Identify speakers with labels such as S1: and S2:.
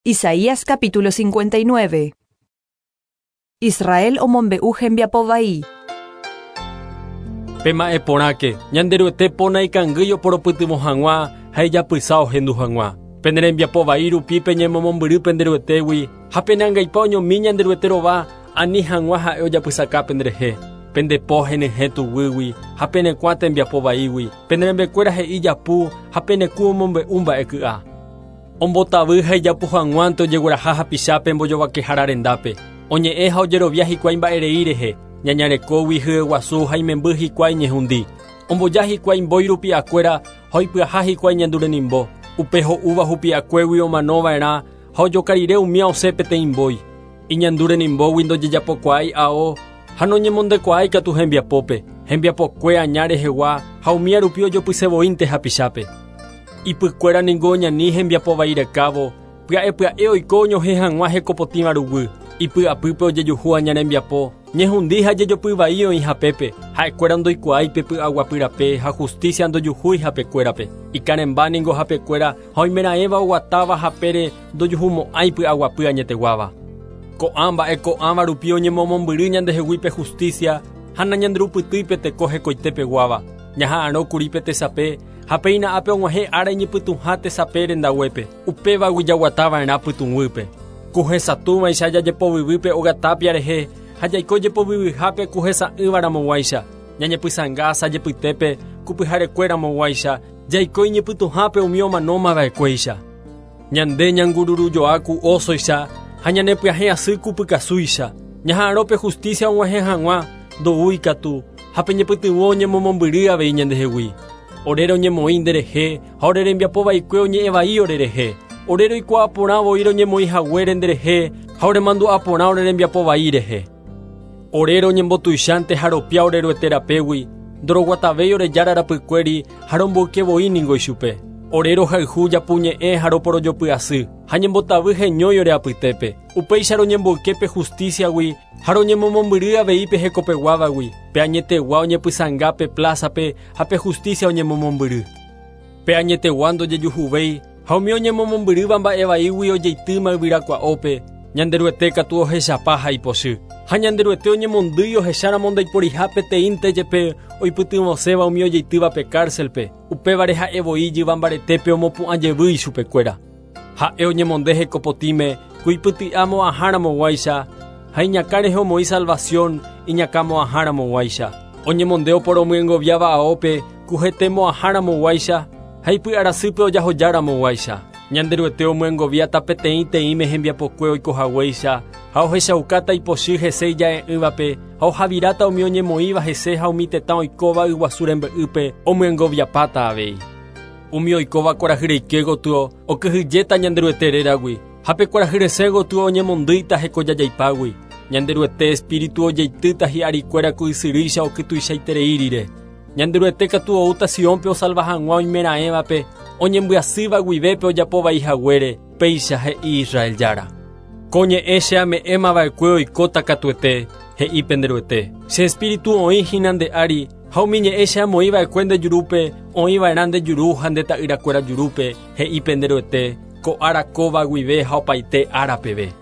S1: Isaías capítulo 59. Israel omombe'u hembiapo vai.
S2: Pema'ẽ porãke, Ñanderuete po naikangýi oporopytyvõ hag̃ua ha ijapysa ohendu hag̃ua. Pene rembiapo vai rupi peñemomombyry pende Ruetégui ha pene angaipa oñomi Ñanderuete rova ani hag̃ua ha'e ojapysaka penderehe. Pende po henyhẽ tuguýgui ha pene kuã tembiapo vaígui, pene rembekuéra he'i japu ha pene kũ omombe'u mba'e ky'a. Ombotavy ha ijapu hag̃uánte ojegueraha hapichápe mbojovakehára rendápe. Oñe'ẽ ha ojerovia hikuái mba'erei rehe, ñañarekógui hyeguasu ha imemby hikuái ñehundi. Omboja hikuái mbói rupi'akuéra ha oipyaha hikuái ñandu renimbo. Upe ho'úva hupi'akuégui omanova'erã ha ojoka rire umía osẽ peteĩ mbói. Iñandu renimbógui ndojejapokuaái ao ha noñemondekuaái katu hembiapópe, hembiapokue aña rehegua ha umía rupi ojopysevoínte hapichápe. Ipykuéra ningo oñani hembiapo vai rekávo, pya'e pya'e oiko oñohẽ hag̃ua hekopotĩva ruguy. Ipy'apýpe ojejuhu aña rembiapo, ñehundi ha jejopy vai oĩ hapépe, ha'ekuéra ndoikuaái pe py'aguapy rape ha justicia ndojuhúi hapekuérape. Ikarẽmba ningo hapekuéra ha oimeraẽva oguatáva hapére ndojuhumo'ãi py'aguapy añeteguáva. Ko'ã mba'e ko'ãva rupi oñemomombyry ñandehegui pe justicia ha nañanderupytýi pe teko hekoitepeguáva. Ñaha'arõ kuri pe tesape ha péina ápe og̃uahẽ ára iñypytũha tesape rendaguépe, upévagui jaguatava'erã pytũguýpe. Ku hesatũvaicha jajepovyvýpe óga tápia rehe ha jaiko jepovyvyhápe ku hesa'ỹva ramoguáicha, ñañepysãnga asajepytépe ku pyharekue ramoguáicha, jaiko iñypytũhápe umi omanómava'ekuéicha. Ñande ñangururujoa ku ósoicha ha ñanepyahẽ asy ku pykasúicha. Ñaha'arõ pe justicia og̃uahẽ hag̃ua, ndoúi katu, ha pe ñepytyvõ oñemomombyry avei ñandehegui. Ore roñemoĩ nderehe ha ore rembiapo vaikue oñe'ẽ vai orerehe. Ore roikuaa porã voi roñemoĩ haguére nderehe ha oremandu'a porã ore rembiapo vai rehe. Ore roñembotuichánte ha ropia ore Ruete rapégui, ndoroguatavéi ore Jára rapykuéri ha romboyke voi ningo ichupe. Ore rohayhu japu ñe'ẽ ha roporojopy asy, ha ñembotavy heñói ore apytépe. Upéicha roñemboyke pe justíciagui ha roñemomombyry avei pe hekopeguávagui, pe añetegua oñepysãnga pe plázape ha pe justícia oñemomombyry. Pe añetegua ndojejuhuvéi ha umi oñemomombyrýva mba'e vaígui ojeitýma yvyrakua'ópe, Ñanderuete katu ohechapa ha ipochy. Ha Ñanderuete oñemondýi ohecháramo ndaiporiha peteĩnte jepe oipytyvõséva umi ojeitývape kárselpe, upévare ha'e voi ijyva mbaretépe omopu'ã jevy ichupekuéra. Ha'e oñemonde hekopotĩme ku ipyty'a mo'ãháramoguáicha, ha iñakã rehe omoĩ salvasión iñakã mo'ãháramoguáicha. Oñemonde oporomyengoviáva aópe ku hete mo'ãháramoguáicha ha ipy'arasýpe ojahojáramoguáicha. Ñanderuete omyengoviáta peteĩ teĩme hembiapokue oiko haguéicha ha ohechaukáta ipochy hese ija'e'ỹvape ha ohaviráta umi oñemoĩva hese ha umi tetã oikóva yguasu rembe'ýpe omyengoviapáta avei. Umi oikóva kuarahy reike gotyo okyhyjéta Ñanderuete réragui, ha pe kuarahy resẽ gotyo oñemondýita hekojajaipágui. Ñanderuete espíritu ojeitýta hi'arikuéra ku ysyrýicha okytuichaiterei rire. Ñanderuete katu oúta Siónpe osalva hag̃ua oimeraẽvape, oñembyasýva guivépe ojapo vai haguére, péicha he'i Israel Jára. Ko ñe'ẽ che ame'ẽma va'ekue oikóta katuete, he'i pende Ruete. Che espíritu oĩ hína nde ári, ha umi ñe'ẽ che amoĩ va'ekue nde jurúpe, oĩ va'erã nde juru ha nde ta'yrakuéra jurúpe, he'i pende Ruete, ko ára kóva guive ha opaite ára peve.